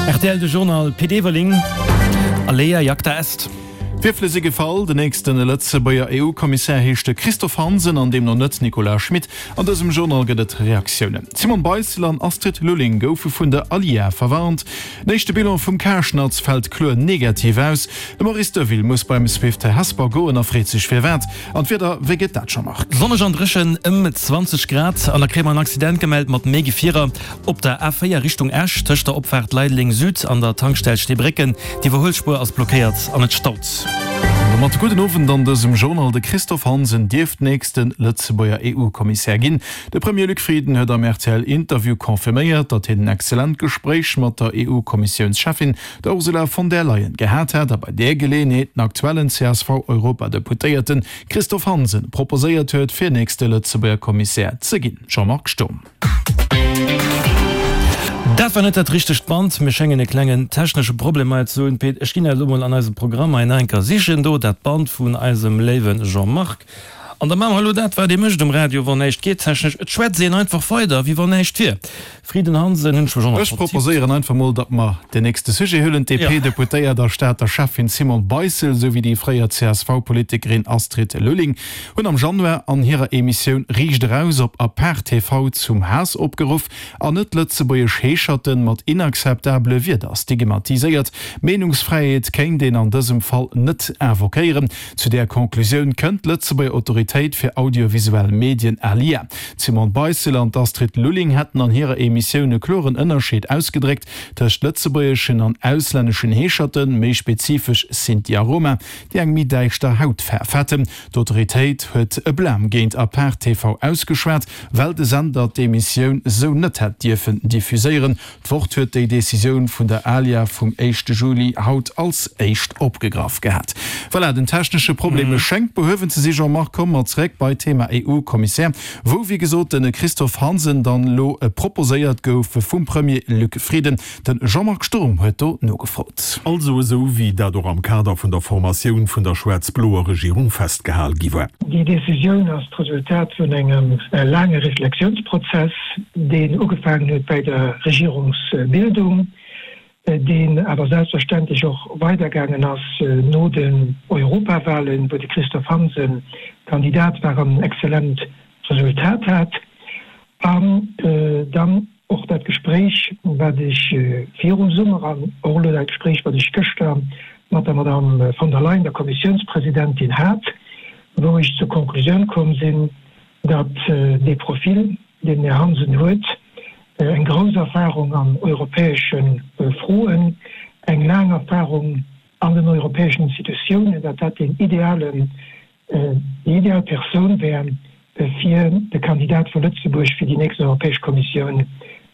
Rtl de Journal Pit Everling, Alea jacta est. D'Wierfele si gefall, Den nächste Lëtzebuerger EU-Kommissär heescht de Christophe Hansen an deemno net Nicolas Schmit. An dësem Journal gëtt et Reaktiounen. D'Simone Beissel an Astrid Lulling goufe vun der ALIA verwarnt. Den éischte Bilan vum Karschnatz fält kloer negativ aus. De Maurice Deville muss beim Swift Hesper goen a freet sech firwat. An d'Wieder, wéi gëtt dat Jean-Marc? Sonneg an dréchen, ëm 20 Grad. An da kréie mer en Accident gemellt mat méi Gefierer op der A4 Richtung Esch, tëscht der Opfaart Leideleng Süd an der Tankstell Steebrécken. D'Iwwerhuelspuer ass blockéiert an et staut. An domat gudden Owend an dësem Journal. De Christophe Hansen dierft nächste Lëtzebuerger EU-Kommissär ginn. De Premier Luc Frieden huet am RTL-Interview confirméiert, datt hien en excellent Gespréich mat der EU-Kommissiounscheffin der Ursula von der Leyen gehat hätt a bei där Geleeënheet den aktuellen CSV-Europadeputéierte Christophe Hansen proposéiert huet, fir nächste Lëtzebuerger Kommissär ze ginn. Jean-Marc Sturm. Dat war net dat richtegt Band. Mir schéngen e klengen technesche Problem hei ze hunn. Pit, ech ginn dat elo mol an eisem Programm hei nach eng Kéier sichen. Do, dat Band vun eisem léiwe Jean-Marc. An da maache mer elo dat, wat ee mécht um Radio, wann näischt geet technesch, Et schwätzt een einfach weider, wéi wann näischt wier. Frieden Hansen hunn ech mech och nach Ech vertippt. proposéieren einfach mol, datt mer den nächste Sujet huelen. D'DP-Deputéiert a Stater Schäffin Simone Beissel esou wéi déi fréier CSV-Politikerin Astrid Lulling hunn am Januar an hirer Emissioun Riicht eraus op Apart TV zum Haass opgeruff an net-lëtzebuergesch Heescherten mat inakzeptabele Wierder stigmatiséiert. Meenungsfräiheet kéint een an dësem Fall net invoquéieren. Zu där Conclusioun kënnt d'Lëtzebuerger Autoritéit fir audiovisuell Medien, ALIA. D'Simone Beissel an d'Astrid Lulling hätten an hirer Emissioun e kloren Ënnerscheed ausgedréckt tëscht lëtzebuergeschen an auslänneschen Heescherten, méi spezifesch Sinti a Roma, déi eng méi däischter Hautfaarf hätten. D'Autoritéit huet e Blam géint Apart TV ausgeschwat, well de Sender d'Emissioun sou net hätt dierfen diffuséieren. D'Wort huet déi Decisioun vun der ALIA vum éischte Juli haut als éischt opgegraff gehat. Voilà, den technesche Problem schéngt behuewen ze si. Jean-Marc, komme mer zeréck bei d'Thema EU-Kommissär, wou wéi gesot de Christophe Hansen dann elo proposéiert gouf vum Premier Luc Frieden. De Jean-Marc Sturm huet do nogefrot. Also esou wéi dat och am Kader vun der Formatioun vun der schwaarz-bloer Regierung festgehal gi war. Déi Decisioun ass d'Resultat vun engem laange Reflexiounsprozess, deen ugefaangen huet bäi der Regierungsbildung, deen awer selbstverständlech och weidergaangen ass no den Europawahlen, wou de Christophe Hansen Kandidat war an en exzellent Resultat hat, an dann och dat Gespréich, wat ech virum Summer an och elo dat Gespréich, wat ech gëschter mat der Madame von der Leyen, der Kommissiounspresidentin, hat, wou ech zur Konklusioun komm sinn, datt dee Profil, deen den Här Hansen huet, eng grouss Erfahrung an europäesche Froen, eng laang Erfahrung an den europäeschen Institutiounen, datt dat deen idealen, déi ideal Persoun wär, fir de Kandidat vu Lëtzebuerg fir déi nächst Europäesch Kommissioun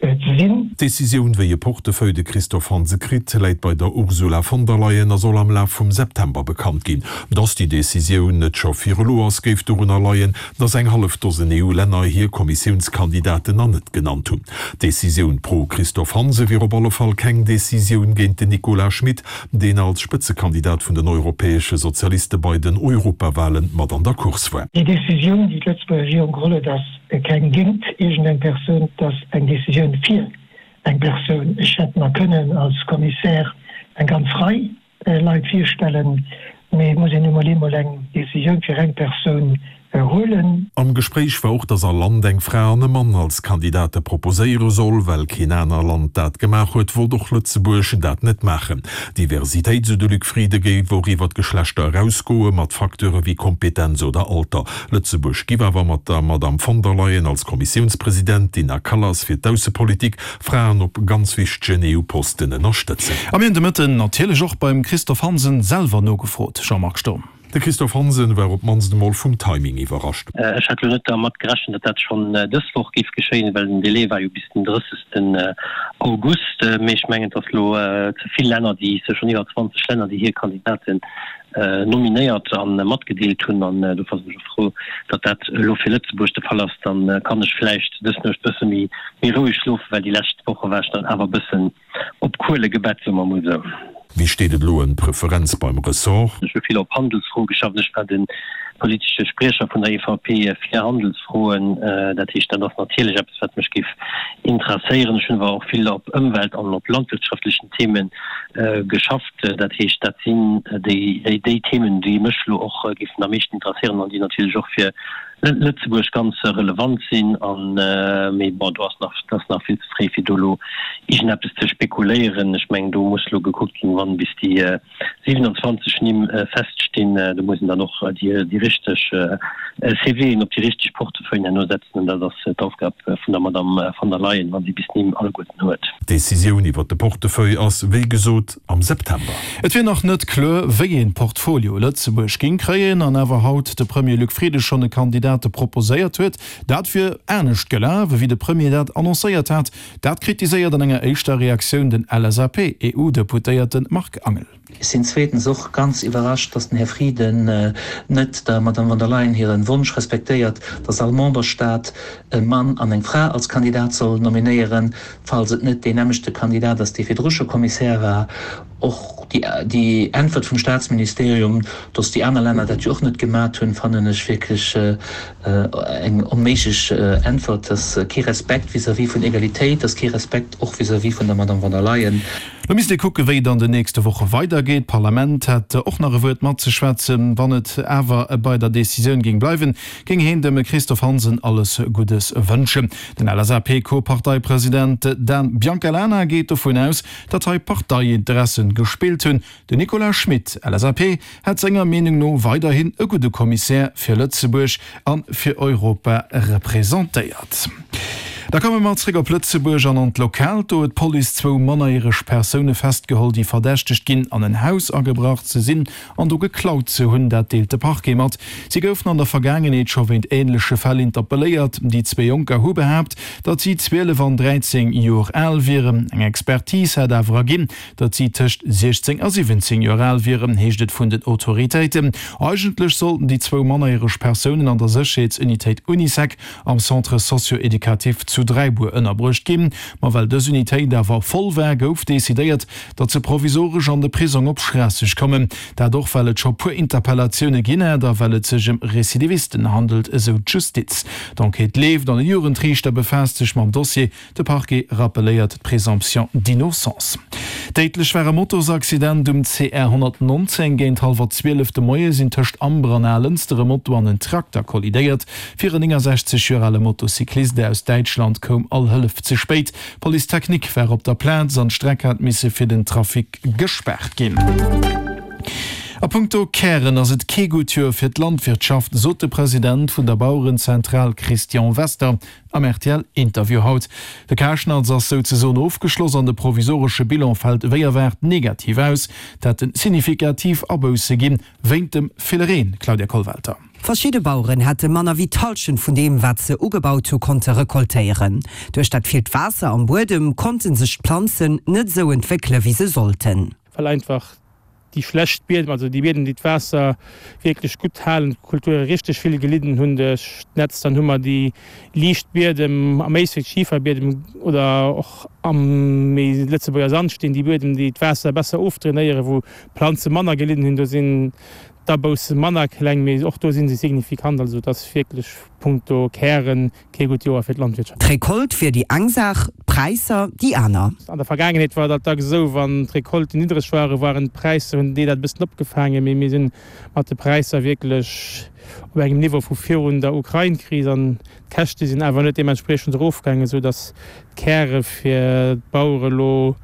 ze sinn. D'Decisioun, wéi e Portefeuille de Christophe Hansen kritt, läit bei der Ursula von der Leyen a soll am Laf vum September bekannt ginn. Datt déi Decisioun net scho fir elo ass, géif dorunner leien, datt eng hallef Dosen EU-Länner hir Kommissiounskandidaten nach net genannt hunn. D'Decisioun pro Christophe Hansen wier op alle Fall keng Decisioun géint den Nicolas Schmit, deen als Spëtzekandidat vun den europäesche Sozialiste bei den Europawale mat an der Course war. Déi Decisioun, déi d'Lëtzebuerger Regierung geholl huet, ass keng géint iergendeng Persoun, et ass eng Decisioun fir eng Persoun. Ech hätt mer kënnen als Kommissär eng ganz Rei Leit virstellen, mee et muss een nu mol eemol eng Decisioun fir eng Persoun huelen. Am Gespréich war och, datt all Land eng Fra an e Mann als Kandidate proposéiere soll. Well keen aner Land dat gemaach huet, wollt och Lëtzebuerg dat net maachen. Diversitéit, sou de Luc Frieden, géif och iwwer d'Geschlechter erausgoe mat Facteure wéi Kompetenz oder Alter. Lëtzebuerg giff awer mat der Madamm von der Leyen als Kommissiounspresidentin a Kallas fir d'Aussepolitik Fraen op ganz wichtegen EU-Posten ënnerstëtzen. A mir hunn de Mëtten natierlech och beim Christophe Hansen selwer nogefrot. Jean-Marc Sturm. De Christophe Hansen war op d'mannst emol vum Timing iwwerrascht. Ech hat elo net dermat gerechent, datt dat schonn dës Woch géif geschéien, well den Délai war jo bis den 30. August. Mee ech mengen, et ass elo ze vill Länner, déi sech, schonn iwwer 20 Länner, déi hir Kandidaten nominéiert a matgedeelt hunn. An dofir sinn ech och frou, datt dat elo fir Lëtzebuerg de Fall ass. Dann kann ech vläicht dës Nuecht bësse méi roueg schlofen, well déi lescht Woche war ech dann awer e bëssen Op Kuele gebett, soe mer mol sou. Wéi steet et elo ëm d'Preferenz beim Ressort? Ech hu vill op Handelsfroe geschafft. Ech war den. politesche Spriecher vun der EVP fir Handelsfroen. Dat heescht, dat ass natierlech eppes, wat mech géif interesséieren. Ech hunn awer och vill op Ëmwelt an op landwirtschaftlechen Theme geschafft. Dat heescht, dat sinn déi Themen, déi mech elo och géifen am meeschten interesséieren an déi natierlech och fir Lëtzebuerg ganz relevant sinn. Mee bon, do ass nach, et ass nach vill ze fréi, fir do elo iergendeppes ze spekuléieren. Ech mengen, do muss elo gekuckt ginn, wann bis déi 27 Nimm feststinn, do muss een dann och déi richteg CVen op déi richteg Portefeuillen herno setzen. An dat ass d'Aufgab vun der Madamm von der Leyen, wa si bis d'Nimm alleguerten huet. D'Decisioun iwwert de Portefeuille ass, wéi gesot, am September. Et wier nach net kloer, wéi een Portfolio Lëtzebuerg géing kréien, an awer haut de Premier Luc Frieden schonn e Kandidate proposéiert huet. Dat wier anescht gelaf, ewéi de Premier dat annoncéiert hat. Dat kritiséiert an enger éischter Reaktioun den LSAP-EU-Deputéierte Marc Angel. Ech sinn zweetens och ganz iwwerrascht, dass den Här Frieden net der Madame von der Leyen hire Wonsch respektéiert, dass all Memberstaat e Mann an eng Fra als Kandidat soll nominéieren, falls et net deen nämmlechte Kandidat ass, dee virdru scho Kommissär war. Och déi Äntwert vum Staatsministerium, dass déi aner Länner dat jo och net gemat hunn, fannen ech wierklech eng onméiglech Äntwert. Dat ass kee Respekt vis-à-vis vun Egalitéit, dat ass kee Respekt och vis-à-vis vun der Madame von der Leyen. Lo misst ee kucken, wéi et an den nächste Woche weidergeet. D'Parlament hätt och nach e Wuert matzeschwätzen. Wann et awer bei der Decisioun géing bleiwen, géing heen dem Christophe Hansen alles Guddes wënschen. Den LSAP-Co-Parteipresident Dan Biancalana geet dovun aus, datt hei Parteiinteressen gespillt hunn. Den Nicolas Schmit, LSAP, hätt senger Meenung no weiderhin e gudde Kommissär fir Lëtzebuerg a fir Europa representéiert. Da komme mer zréck op Lëtzebuerg an an d'Lokalt. Do huet d'Police zwou mannerjäreg Persoune festgeholl, déi verdächtegt ginn, an en Haus agebrach ze sinn an do geklaut ze hunn. Dat deelt de Parquet mat. Si goufen an der Vergaangenheet scho wéint änleche Fäll interpelléiert. Déi zwee Jonker hu behaapt, datt si 12 an 13 Joer al wieren. Eng Expertise hätt awer erginn, datt si tëscht 16 a 17 Joer al wieren, heescht et vun den Autoritéiten. Eigentlech sollten déi zwou mannerjäreg Persounen an der Sécherheetsunitéit Unisec am Centre socio-éducatif zu Dräibuer ënnerbruecht ginn. Ma well dës Unitéit awer voll war, gouf decidéiert, datt se provisoresch an de Prisong op Schraasseg kommen. Dat och well et scho puer Interpellatioune ginn hätt a well et sech ëm Recidivisten handelt, esou d'Justiz. D'Enquête leeft an e Jugendriichter befaasst sech mam Dossier. De Parquet rappelléiert d'Présomption d'innocence. Déidlech war e Motosaccident um CR 119. Géint hallwer 12 de Moie sinn tëscht Amber an Alënster e Moto an en Trakter kollidéiert. Fir en 69 Joer ale Motocyclist aus Däitschland koum all Hëllef ze spéit. D'Police technique war op der Plaz an d'Streck hat misse fir den Trafic gespaart ginn. A punkto Kären ass et kee gutt Joer fir d'Landwirtschaft, sot de President vun der Bauerenzentral Christian Wester am RTL-Interview haut. De Karschnatz ass souzesoen ofgeschloss an de provisoresche Bilan fält wéi erwaart negativ aus. Et hätte signifikativ Abousse ginn, wéint dem ville Reen, Claudia Kollwelter. Verschidde Baueren hätte manner wéi d'Hallschent vun deem, wat se ugebaut hu konnte rekoltéieren. Duerch dat villt Waasser am Buedem konnte sech d'Planzen net esou entwéckele wéi se sollten. Well einfach déi schlecht Biedem, also déi Biedem, déi d'Waasser wierklech gutt halen, d'Kulture richteg vill gelidden hunn duerch d'Nätzt. Dann hu mer déi liicht Biedem, am éischten d'Schiferbiedem oder och am méi Lëtzebuerger Sandsteen, déi Biedem, déi d'Waasser besser ofdrainéieren, wou d'Planze manner gelidden hunn. Do sinn d'Abousse manner kleng, mee och do si se signifikant. Also et ass wierklech punkto Kären Kee gutt Joer fir d'Landwirtschaft. D'Recolte wier déi eng Saach, d'Präisser déi aner. An der Vergaangenheet war dat dacks esou, wann d'Recolten niddreg waren, waren d'Präisser, hunn déi dat e bëssen opgefaangen. Mee mir si mat de Präisser wierklech op engem Niveau vu virun der Ukrain-Kris an d'Käschte sinn awer net deementspriechend erofgaangen, esou datt d'Käre fir d'Bauere lo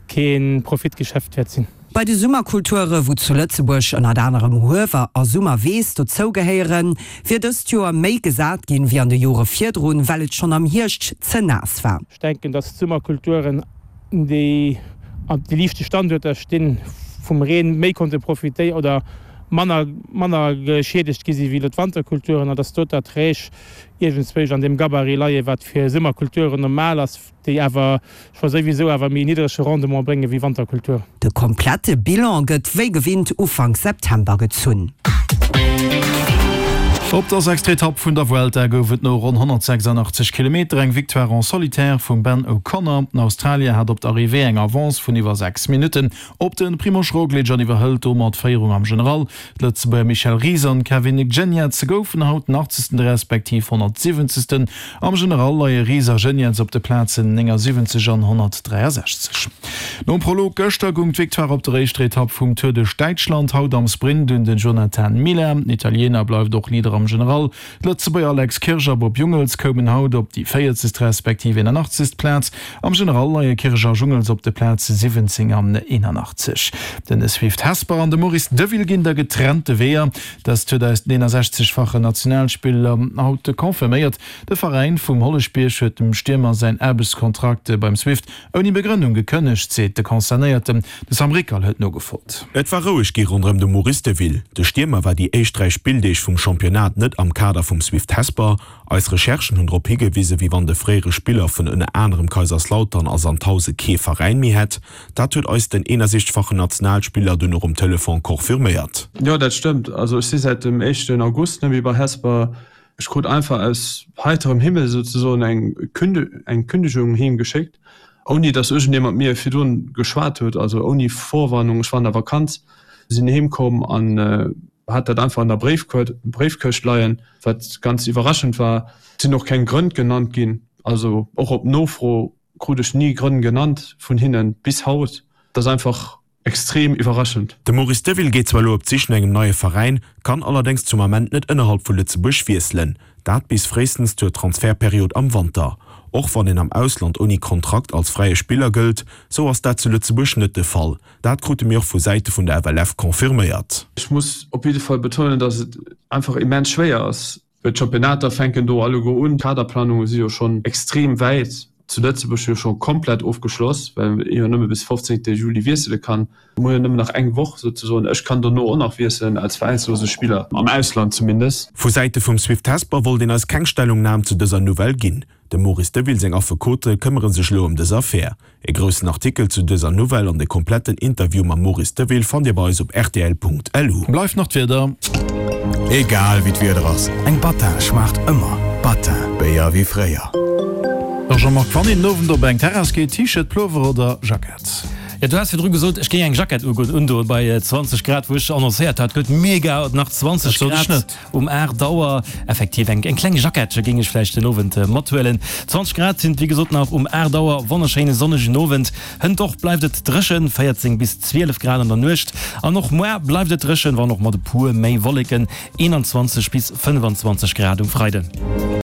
kee Profitgeschäft wäert sinn. Bei de Summerkulture, wou zu Lëtzebuerg ënnert anerem Huewer a Summerweess dozou gehéieren, wier dëst Joer méi gesat ginn, wéi an de Jore virdrun, well et schonn am Hierscht ze naass war. Ech denken, datt d'Summerkulturen, déi an de liichte Standuerter stinn, vum Reen méi konnte profitéieren oder manner manner geschiedegt gi si wéi elo d'Wanterkulturen, an datt do d'Erträg iergendzwousch an deem Gabarit leien, wat fir Summerkulturen normal ass. déi awer scho souwisou awer méi niddrege Rendement brénge wéi Wanterkultur. De komplette Bilan gëtt wéi gewinnt Ufank September gezunn. Op der sechster Etapp vun der Vuelta gouf et no ronn 186 Kilometer eng Victoire en solitaire vum Ben O'Connor. Den Australier hat op d'Arrivée eng Avance vun iwwer 6 Minutten op de Primož Roglič an iwwerhëlt domat d'Féierung am General. D'Lëtzebuerger Michel Ries an Kevin Geniets goufen haut den 80. Respektiv 170. Am General leie Ries a Geniets op de Plazen 79 an 163. Nom Prolog gëschter goung d'Victoire op der éischter Etapp vum Tour duerch Däitschland haut am Sprint un den Jonathan Milan. Den Italiener bleift och Leader am General. D'Lëtzebuerger Alex Kirsch a Bob Jungels koumen haut op déi 40. Respektiv 81. Plaz. Am General leie Kirsch a Jungels op de Plaze 17 an 81. Den Swift Hesper an de Maurice Deville ginn da getrennte Weeër. Dëst huet eis den 61-fachen Nationalspiller haut confirméiert. De Veräin vum Holleschbierg huet dem Stiermer säin Aarbechtskontrakt beim Swift ouni Begrënnung gekënnegt, seet de Concernéierten. De Sam Rickal huet nogefrot. Et war roueg gi ronderëm de Maurice Deville. De Stiermer war déi éischt 3 Spilldeeg vum Championnat net am Kader vum Swift Hesper. Eis Recherchen hunn drop higewise wéi wann de fréiere Spiller vun ënner anerem Kaiserslautern a Sandhause kee Veräin méi hätt. Dat huet eis den 61-fachen Nationalspiller dunn och um Telefon confirméiert. Jo, dat stëmmt. Also ech si säit dem éischten August net méi bei Hesper. Ech krut einfach aus heiterem Himmel souzesoen eng eng Kündigung heem geschéckt, ouni datt iergendee mat mir virdrun geschwat huet, also ouni Vorwarnung. Ech war an der Vakanz, sinn heem komm an hat dat einfach an der Bréifkëscht leien, wat ganz iwwerraschend war. Et sinn och keng Grënn genannt ginn, also och op Nofro krut ech ni Grënn genannt vun hinnen, bis haut. Et ass einfach Extrem iwwerraschend. De Maurice Deville geet zwar elo op d'Sich no engem neie Veräin, kann allerdéngs zum Ament net ënnerhalb vu Lëtzebuerg wiesselen. Dat bis fréistens zur Transfertperiod am Wanter. Och wann een am Ausland ouni Kontrakt als fräie Spiller gëllt, sou ass dat zu Lëtzebuerg net de Fall. Dat krute mir och vu Säite vun der FLF confirméiert. Ech muss op jidde Fall betounen, dass et einfach immens schwéier ass, Well d'Championnater fänken do alleguer un. D'Kaderplanunge si jo schonn extrem wäit, zu Lëtzebuerg jo scho komplett ofgeschloss, well ee jo nëmme bis 15 Juli wiessele kann. Mir hu jo nëmmen nach eng Woch souzesoen. Ech kann dono och nach wiesselen, als veräinslose Spiller, am Ausland zumindest. Vu Säite vum Swift Hesper wollt een eis keng Stellungnam zu dëser Nouvelle ginn. Dem Maurice Deville seng Affekote këmmere sech elo ëm dës Affär. E groussen Artikel zu dëser Nouvelle an de kompletten Interview mam Maurice Deville fannt Dir bei eis op rtl.lu. Bleift nach d'Wieder. Egal wéi d'Wieder ass, eng Battin schmaacht ëmmer. Battin, Béier wéi fréier. Jean-Marc, wann een den Owend op eng Terrass geet, T-Shirt, Plover oder Jackett? Jo, du has virdru gesot, ech géing eng Jackett undoen bei 20 Grad, wou ech annoncéiert hat, gëtt mega, nach 20 Grad. Um 8 Auer effektiv eng kleng Jackettche géing ech vläicht den Owend mathuelen. 20 Grad sinn et wéi gesot nach um 8 Auer. Wonnerschéine sonnegen Owend. Hënt och bleift et dréchen, 14 bis 12 Grad an der Nuecht. An och muar bleift et dréchen, wann och mat e puer méi Wolleken, 21 bis 25 Grad um Freiden.